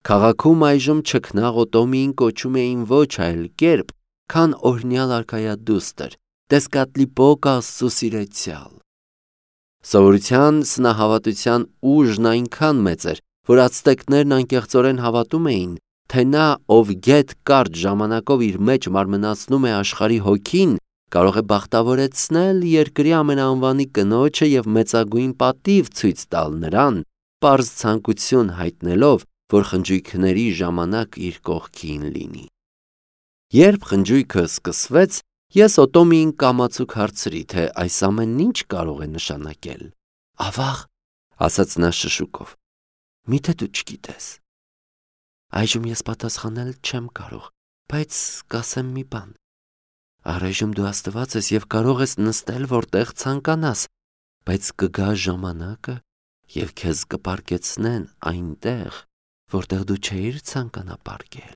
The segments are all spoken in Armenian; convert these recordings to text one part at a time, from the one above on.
Քաղաքում այժմ չքնաղ Օտոմիին կոչում էին ոչ այլ կերպ, քան օրհնյալ արքայադուստր, Տեսկատլիպոկ Աստծու սիրեցյալ։ Սովորության սնահավատության ուժն այնքան մեծ էր, որ ացտեկներն անկեղծորեն հավատում էին, թե նա, ով գեթ կարճ ժամանակով իր մեջ մարմնացնում է աշխարհի հոգին, կարող է բախտավորեցնել երկրի ամենաանվանի կնոջը և մեծագույն պատիվ ցույց տալ նրան, պարզ ցանկություն հայտնելով, որ խնջույքների ժամանակ իր կողքին լինի։ Երբ խնջույքը սկսվեց, ես Օտոմիին կամացուկ հարցրի, թե այս ամենն ինչ կարող է նշանակել։ Ավաղ, ասաց նա շշուկով, միթե դու չգիտես։ Այժմ ես պատասխանել չեմ կարող, բայց կասեմ մի բան։ Առայժմ դու Աստված ես և կարող ես նստել որտեղ ցանկանաս, բայց կգա ժամանակը, և քեզ կպարգեցնեն այնտեղ, որտեղ դու չէիր ցանկանա պարգել։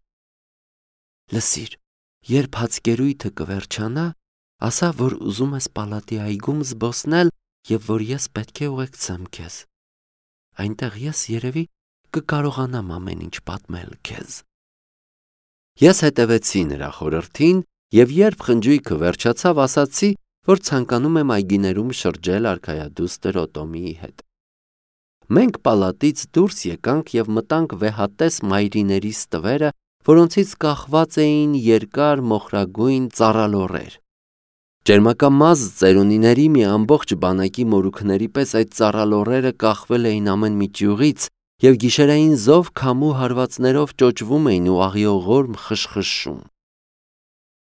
Լսիր, երբ հացկերույթը կվերջանա, ասա, որ ուզում ես պալատի այգում զբոսնել և որ ես պետք է ուղեկցեմ քեզ։ Այնտեղ ես երևի կկարողանամ ամեն ինչ պատմել քեզ։ Ես հետևեցի նրա խորհրդին և երբ խնջույքը վերջացավ, ասացի, որ ցանկանում եմ այգիներում շրջել արքայադուստր Օտոմիի հետ։ Մենք պալատից դուրս եկանք և մտանք վեհատես մայրիների ստվերը, որոնցից կախված էին երկար մոխրագույն ծառալոռեր։ Ճերմակամազ ծերունիների մի ամբողջ բանակի մորուքների պես այդ ծառալոռերը կախվել էին ամեն մի ճյուղից և գիշերային զով քամու հարվածներով ճոճվում էին ու աղիողորմ խշխշում։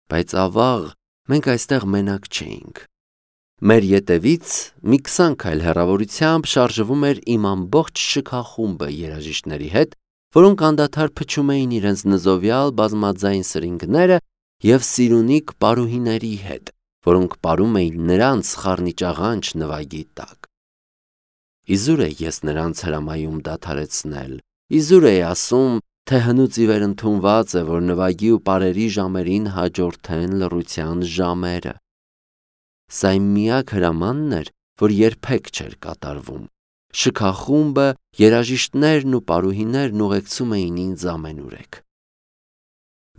Բայց ավաղ մենք այստեղ մենակ չէինք։ Մեր ետևից մի 20 քայլ հեռավորությամբ շարժվում էր իմ ամբողջ շքախումբը երաժիշտների հետ, որոնք անդադար փչում էին իրենց նզովյալ բազմաձայն սրինգները և սիրունիկ պարուհիների հետ, որոնք պարում էին նրանց խառնիճաղանճ նվագի տակ։ Իզուր է ես նրանց հրամայում դադարեցնել, իզուր է ասում, թե հնուց ի վեր ընդունված է, որ նվագի ու պարերի ժամերին հաջորդեն լռության ժամերը։ Սա իմ միակ հրամանն էր, որ երբեք չէր կատարվում։ Շքախումբը, երաժիշտներն ու պարուհիներն ուղեկցում էին ինձ ամենուրեք։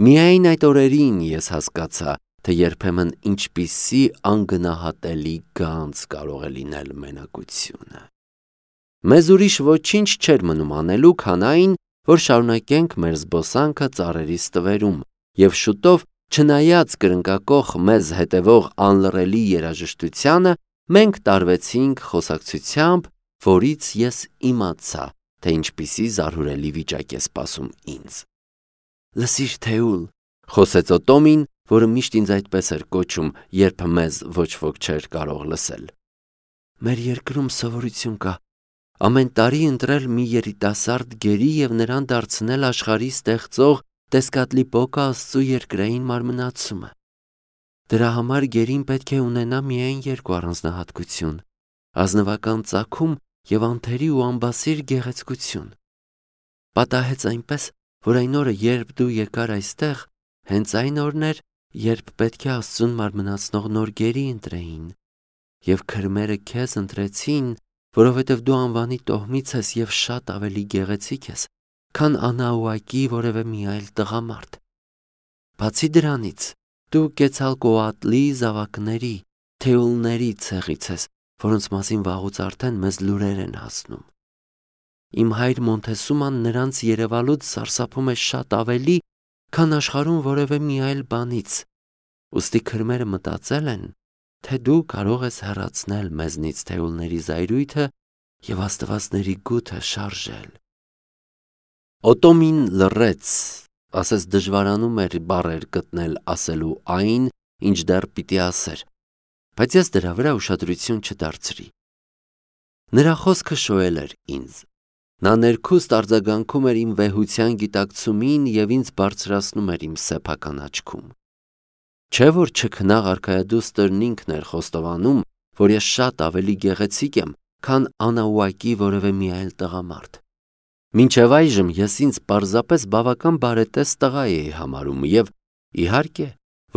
Միայն այդ օրերին ես հասկացա, թե երբեմն ինչպիսի անգնահատելի գանձ կարող է լինել մենակությունը։ Մեզ ուրիշ ոչինչ չէր մնում անելու, քան այն, որ շարունակենք մեր զբոսանքը ծառերի ստվերում, և շուտով, չնայած կրնկակոխ մեզ հետևող անլռելի երաժշտությանը, մենք տարվեցինք խոսակցությամբ, որից ես իմացա, թե ինչպիսի զարհուրելի վիճակ է սպասում ինձ։ Լսիր, Թեուլ, խոսեց Օտոմին, որը միշտ ինձ այդպես էր կոչում, երբ մեզ ոչ ոք չէր կարող լսել։ Մեր երկրում սովորություն կա ամեն տարի ընտրել մի երիտասարդ գերի և նրան դարձնել աշխարհի ստեղծող Տեսկատլիպոկ Աստծու երկրային մարմնացումը։ Դրա համար գերին պետք է ունենա միայն երկու առանձնահատկություն՝ ազնվական ծագում և անթերի ու ամբասիր գեղեցկություն։ Պատահեց այնպես, որ այն օրը, երբ դու եկար այստեղ, հենց այն օրն էր, երբ պետք է Աստծուն մարմնացնող նոր գերի ընտրեին, և քրմերը քեզ ընտրեցին, որովհետև դու անվանի տոհմից ես և շատ ավելի գեղեցիկ ես, քան Անահուակի որևէ մի այլ տղամարդ։ Բացի դրանից, դու Կեցալկոատլի զավակների, Թեուլների ցեղից ես, որոնց մասին վաղուց արդեն մեզ լուրեր են հասնում։ Իմ հայր Մոնթեսուման նրանց երևալուց սարսափում է շատ ավելի, քան աշխարհում որևէ մի այլ բանից, ուստի քրմերը մտածել են, թե դու կարող ես հեռացնել մեզնից Թեուլների զայրույթը և աստվածների գութը շարժել։ Օտոմին լռեց, ասես դժվարանում էր բառեր գտնել ասելու այն, ինչ դեռ պիտի ասեր, բայց ես դրա վրա ուշադրություն չդարձրի։ Նրա խոսքը շոյել էր ինձ։ Նա ներքուստ արձագանքում էր իմ վեհության գիտակցումին և ինձ բարձրացնում էր իմ սեփական աչքում։ Չէ՞ որ չքնաղ արքայադուստրն ինքն էր խոստովանում, որ ես շատ ավելի գեղեցիկ եմ, քան Անահուակի որևէ մի այլ տղամարդ։ Մինչև այժմ ես ինձ պարզապես բավական բարետես տղա էի համարում և, իհարկե,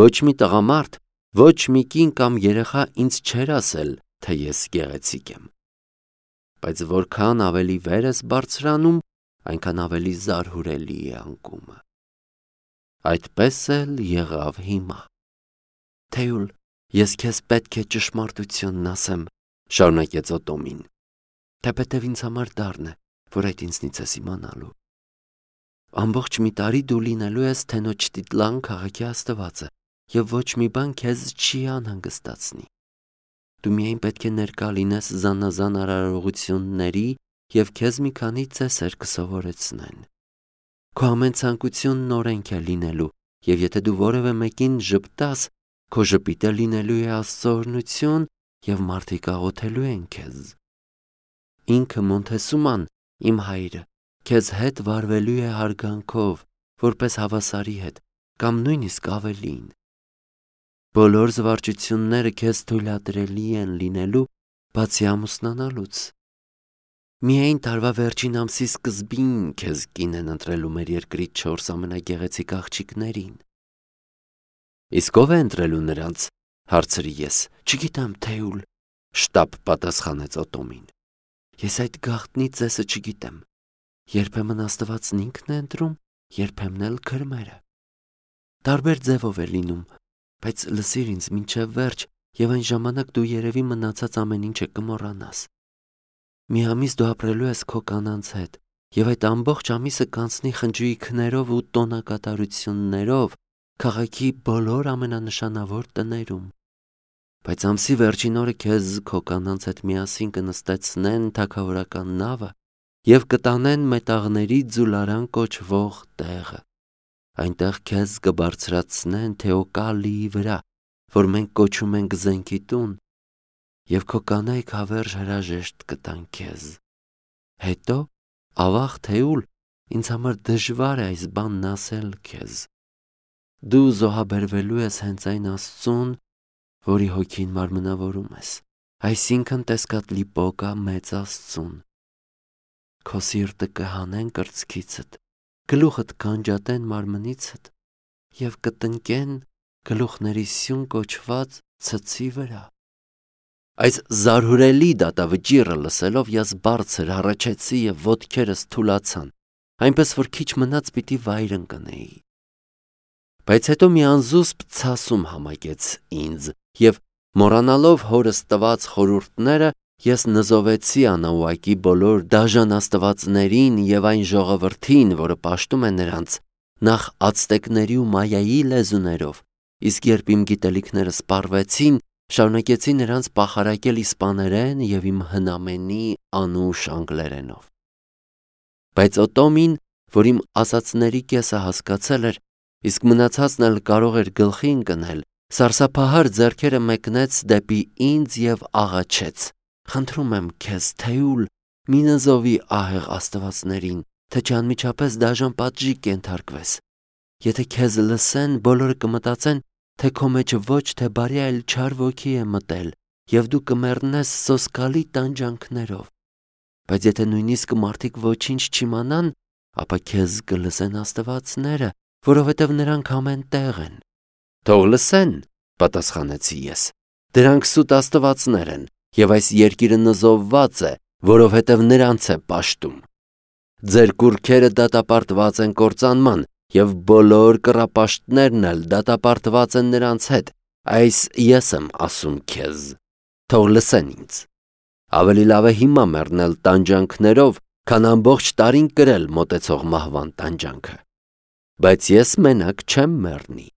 ոչ մի տղամարդ, ոչ մի կին կամ երեխա ինձ չէր ասել, թե ես գեղեցիկ եմ։ Բայց որքան ավելի վեր ես բարձրանում, այնքան ավելի զարհուրելի է անկումը։ Այդպես էլ եղավ հիմա։ Թեյուլ, ես քեզ պետք է ճշմարտությունն ասեմ, շարունակեց Օտոմին, թեպետև ինձ համար դառն է, որ այդ ինձնից ես իմանալու։ Ամբողջ մի տարի դու լինելու ես Թենոչտիտլան քաղաքի աստվածը, եւ ոչ մի բան քեզ չի անհանգստացնի։ Դու միայն պետք է ներկա լինես զանազան արարողությունների եւ քեզ մի քանի ծեսեր կսովորեցնեն։ Քո ամեն ցանկությունն օրենք է լինելու, եւ եթե դու որևէ մեկին ժպտաս, քո ժպիտը լինելու է Աստծո օրհնություն եւ մարդիկ աղոթելու են քեզ։ Ինքը Մոնթեսուման, իմ հայրը, քեզ հետ վարվելու է հարգանքով, որպես հավասարի հետ, կամ նույնիսկ ավելին։ Բոլոր զվարճությունները քեզ թույլատրելի են լինելու, բացի ամուսնանալուց։ Միայն տարվա վերջին ամսի սկզբին քեզ կին են ընտրելու մեր երկրի 4 ամենագեղեցիկ աղջիկներին։ Իսկ ով է ընտրելու նրանց, հարցրի ես։ Չգիտեմ, Թեյուլ, շտապ պատասխանեց Օտոմին։ Ես այդ գաղտնի ծեսը չգիտեմ։ Երբեմն Աստվածն ինքն է ընտրում, երբեմն էլ քրմերը։ Տարբեր ձևով է լինում, բայց լսիր ինձ մինչև վերջ, եւ այն ժամանակ դու երևի մնացած ամեն ինչը կմոռանաս։ Մի ամիս դու ապրելու ես քո կանանց հետ, եւ այդ ամբողջ ամիսը կանցնի խնջույքներով ու տոնակատարություններով քաղաքի բոլոր ամենանշանավոր տներում։ Բայց ամսի վերջին օրը քեզ քո կանանց հետ միասին կնստեցնեն թագավորական նավը եւ կտանեն մետաղների ձուլարան կոչվող տեղը։ Այնտեղ քեզ կբարձրացնեն Թեոկալիի վրա, որ մենք կոչում ենք զենքի տուն, եւ քո կանայք հավերժ հրաժեշտ կտան քեզ։ Հետո, ավաղ Թեյուլ, ինձ համար դժվար է այս բանն ասել քեզ։ Դու զոհաբերվելու ես հենց այն Աստծուն, որի հոգին մարմնավորում ես, այսինքն Տեսկատլիպոկա մեծ Աստծուն։ Քո սիրտը կհանեն կրծքիցդ, գլուխդ կանջատեն մարմնիցդ եւ կտնկեն գլուխների սյուն կոչված ցցի վրա։ Այս զարհուրելի դատավճիռը լսելով ես բարձր հառաչեցի եւ ոտքերս թուլացան, այնպես որ քիչ մնաց պիտի վայր ընկնեի։ Բայց հետո մի անզուսպ ցասում համակեց ինձ եւ մոռանալով հորս տված խորհուրդները ես նզովեցի անաուակի բոլոր դաժան աստվածներին եւ այն ժողովրդին, որը պաշտում է նրանց, նախ ացտեկների ու մայայի լեզուներով, իսկ երբ իմ գիտելիքները սպառվեցին, շարունակեցի նրանց պախարակել իսպաներեն եւ իմ հնամենի անուշ անգլերենով։ Բայց Օտոմին, որ իմ ասածների կեսը հասկացել էր, իսկ մնացածն էլ կարող էր գլխի ընկնել, սարսափահար ձեռքերը մեկնեց դեպի ինձ եւ աղաչեց. Խնդրում եմ քեզ, Թեյուլ, մի նզովի ահեղ աստվածներին, թե չանմիջապես դաժան պատժի կենթարկվես։ Եթե քեզ լսեն, բոլորը կմտածեն, թե քո մեջ ոչ թե բարի, այլ չար ոգի է մտել, եւ դու կմեռնես սոսկալի տանջանքներով։ Բայց եթե նույնիսկ մարդիկ ոչինչ չիմանան, ապա քեզ կլսեն աստվածները, որովհետև նրանք ամեն տեղ են։ Թող լսեն, պատասխանեցի ես։ Դրանք սուտ աստվածներ են, եւ այս երկիրը նզովված է, որովհետև նրանց է պաշտում։ Ձեր կուռքերը դատապարտված են կործանման, եւ բոլոր կռապաշտներն էլ դատապարտված են նրանց հետ։ Այս ես եմ ասում քեզ։ Թող լսեն ինձ։ Ավելի լավ է հիմա մեռնել տանջանքներով, քան ամբողջ տարին կրել մոտեցող մահվան տանջանքը։ Բայց ես մենակ չեմ մեռնի։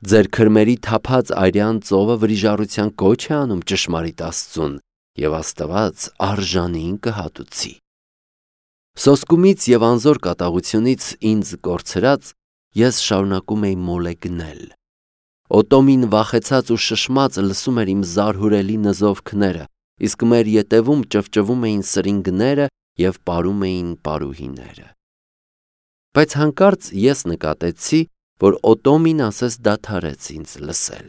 Ձեր քրմերի թափած արյան ծովը վրիժառության կոչ է անում ճշմարիտ Աստծուն, եւ Աստված արժանին կհատուցի։ Սոսկումից եւ անզոր կատաղությունից ինձ կորցրած, ես շարունակում էի մոլեգնել։ Օտոմին վախեցած ու շշմած լսում էր իմ զարհուրելի նզովքները, իսկ մեր ետևում ճվճվում էին սրինգները եւ պարում էին պարուհիները։ Բայց հանկարծ ես նկատեցի, որ Օտոմին ասես դադարեց ինձ լսել։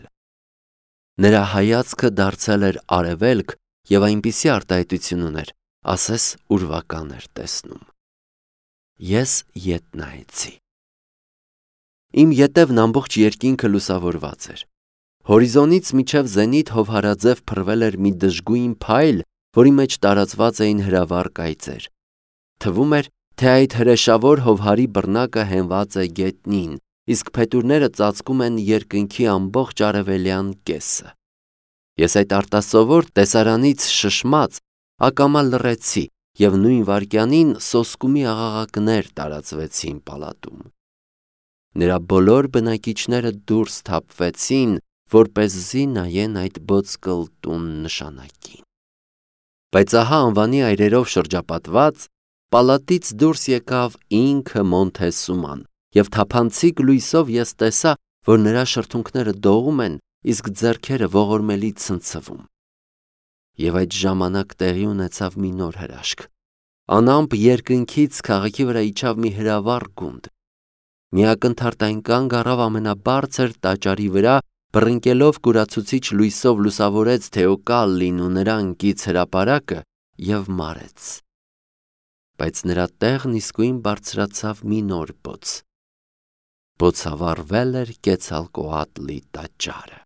Նրա հայացքը դարձել էր արևելք եւ այնպիսի արտահայտություն ուներ, ասես ուրվական էր տեսնում։ Ես ետ նայեցի։ Իմ ետևն ամբողջ երկինքը լուսավորված էր։ Հորիզոնից միջև զենիթ հովհարաձև փռվել էր մի դժգույն փայլ, որի մեջ տարածված էին հրավառ կայծեր։ Թվում էր, թե այդ հրեշավոր հովհարի բռնակը հենված է գետնին, իսկ փետուրները ծածկում են երկնքի ամբողջ արևելյան կեսը։ Ես այդ արտասովոր տեսարանից շշմած ակամա լռեցի, և նույն վայրկյանին սոսկումի աղաղակներ տարածվեցին պալատում։ Նրա բոլոր բնակիչները դուրս թափվեցին, որպեսզի նայեն այդ ոսկլտուն նշանակին։ Բայց ահա անվանի այրերով շրջապատված պալատից դուրս եկավ ինքը Մոնթեսուման, և թափանցիկ լույսով ես տեսա, որ նրա շրթունքները դողում են, իսկ ձեռքերը ողորմելի ցնցվում։ Եվ այդ ժամանակ տեղի ունեցավ մի նոր հրաշք։ Անամպ երկնքից քաղաքի վրա իջավ մի հրավառ գունդ։ Մի ակնթարթ այն կանգ առավ ամենաբարձր տաճարի վրա, բռնկելով կուրացուցիչ լույսով լուսավորեց Թեոկալլին ու նրա ընկից հրապարակը և մարեց։ Բայց նրա տեղն իսկույն բարձրացավ մի նոր բոց։ Բոցավառվել էր Կեցալկոատլի տաճարը։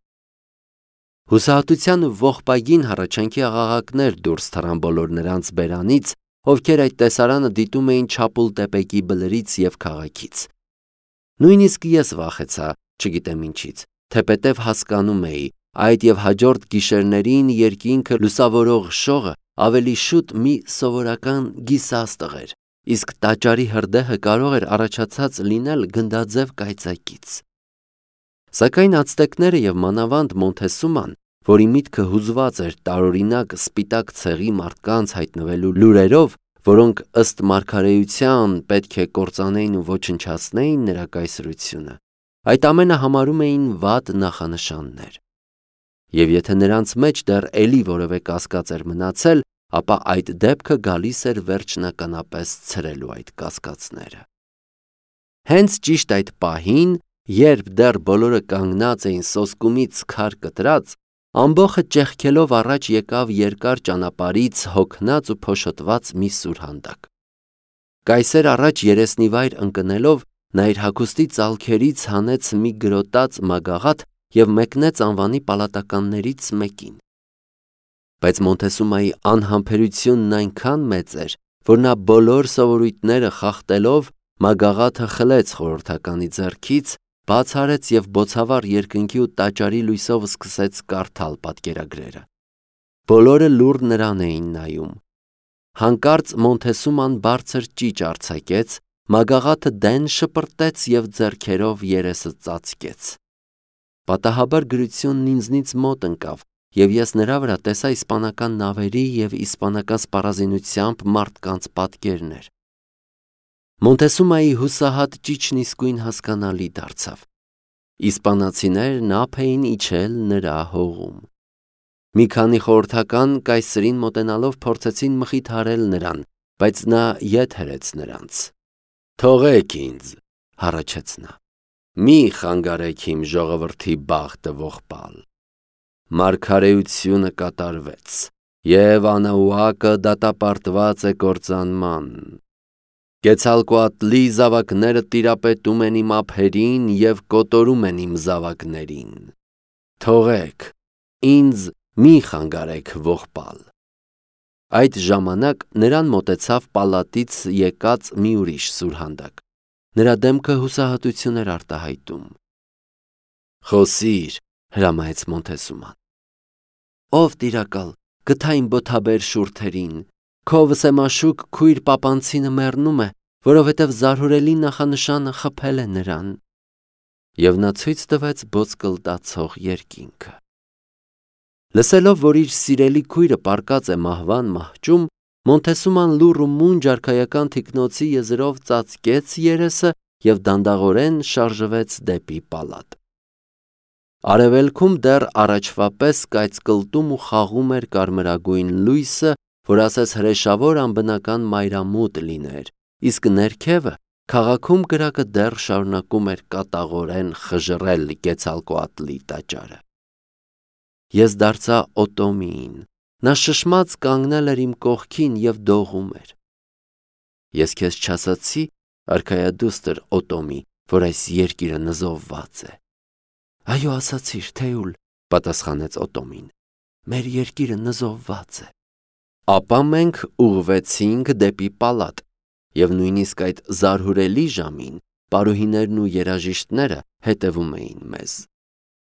Հուսահատության ու ողբագին հառաչանքի աղաղակներ դուրս թռան բոլոր նրանց բերանից, ովքեր այդ տեսարանը դիտում էին Չապուլտեպեկի բլրից և քաղաքից։ Նույնիսկ ես վախեցա, չգիտեմ ինչից, թեպետև հասկանում էի, այդ և հաջորդ գիշերներին երկինքը լուսավորող շողը ավելի շուտ մի սովորական գիսաստղ էր, իսկ տաճարի հրդեհը կարող էր առաջացած լինել գնդաձև կայծակից։ Սակայն ացտեկները և մանավանդ Մոնթեսուման, որի միտքը հուզված էր տարօրինակ սպիտակ ցեղի մարդկանց հայտնվելու լուրերով, որոնք ըստ մարգարեության պետք է կործանեին ու ոչնչացնեին նրա կայսրությունը, այդ ամենը համարում էին վատ նախանշաններ։ Եվ եթե նրանց մեջ դեռ էլի որևէ կասկած էր մնացել, ապա այդ դեպքը գալիս էր վերջնականապես ցրելու այդ կասկածները։ Հենց ճիշտ այդ պահին, երբ դեռ բոլորը կանգնած էին սոսկումից քար կտրած, ամբոխը ճեղքելով առաջ եկավ երկար ճանապարհից հոգնած ու փոշոտված մի սուրհանդակ։ Կայսեր առաջ երեսնիվայր ընկնելով, նա իր հագուստի ծալքերից հանեց մի գրոտած մագաղաթ և մեկնեց անվանի պալատականներից մեկին։ Բայց Մոնթեսումայի անհամբերությունն այնքան մեծ էր, որ նա բոլոր սովորույթները խախտելով մագաղաթը խլեց խորհրդականի ձեռքից, բաց արեց և բոցավառ երկնքի ու տաճարի լույսով սկսեց կարդալ պատկերագրերը։ Բոլորը լուռ նրան էին նայում։ Հանկարծ Մոնթեսուման բարձր ճիչ արձակեց, մագաղաթը դեն շպրտեց և ձեռքերով երեսը ծածկեց։ Պատահաբար գրությունն ինձնից մոտ ընկավ, և ես նրա վրա տեսա իսպանական նավերի և իսպանական սպառազինությամբ մարդկանց պատկերներ։ Մոնթեսումայի հուսահատ ճիչն իսկույն հասկանալի դարձավ։ Իսպանացիներն ափ էին իջել նրա հողում։ Մի քանի խորհրդական կայսրին մոտենալով փորձեցին մխիթարել նրան, բայց նա ետ հրեց նրանց։ «Թողեք ինձ», հառաչեց նա, «մի խանգարեք իմ ժողովրդի բախտը ողբալ։ Մարգարեությունը կատարվեց, և Անաուակը դատապարտված է կործանման։ Կեցալկոատլի զավակները տիրապետում են իմ ափերին և կոտորում են իմ զավակներին։ Թողեք, ինձ մի խանգարեք ողբալ»։ Այդ ժամանակ նրան մոտեցավ պալատից եկած մի ուրիշ սուրհանդակ։ Նրա դեմքը հուսահատություն էր արտահայտում։ «Խոսիր», հրամայեց Մոնթեսուման։ «Ով տիրակալ, գթա իմ բոթաբեր շուրթերին, քո վսեմաշուկ քույր պապանցինը մեռնում է, որովհետև զարհուրելի նախանշանը խփել է նրան»։ Եվ նա ցույց տվեց ոսկլտացող երկինքը։ Լսելով, որ իր սիրելի քույրը պառկած է մահվան մահճում, Մոնթեսուման լուռ ու մունջ արքայական թիկնոցի եզրով ծածկեց երեսը և դանդաղորեն շարժվեց դեպի պալատ։ Արևելքում դեռ առաջվա պես կայծկլտում ու խաղում էր կարմրագույն լույսը, որ ասես հրեշավոր անբնական մայրամուտ լիներ, իսկ ներքևը քաղաքում կրակը դեռ շարունակում էր կատաղորեն խժռել Կեցալկոատլի տաճարը։ Ես դարձա Օտոմիին, նա շշմած կանգնել էր իմ կողքին և դողում էր։ Ես քեզ չասացի, արքայադուստր Օտոմի, որ այս երկիրը նզովված է։ Այո, ասացիր, Թեուլ, պատասխանեց Օտոմին, մեր երկիրը նզովված է։ Ապա մենք ուղղվեցինք դեպի պալատ, եւ նույնիսկ այդ զարհուրելի ժամին պարուհիներն ու երաժիշտները հետևում էին մեզ։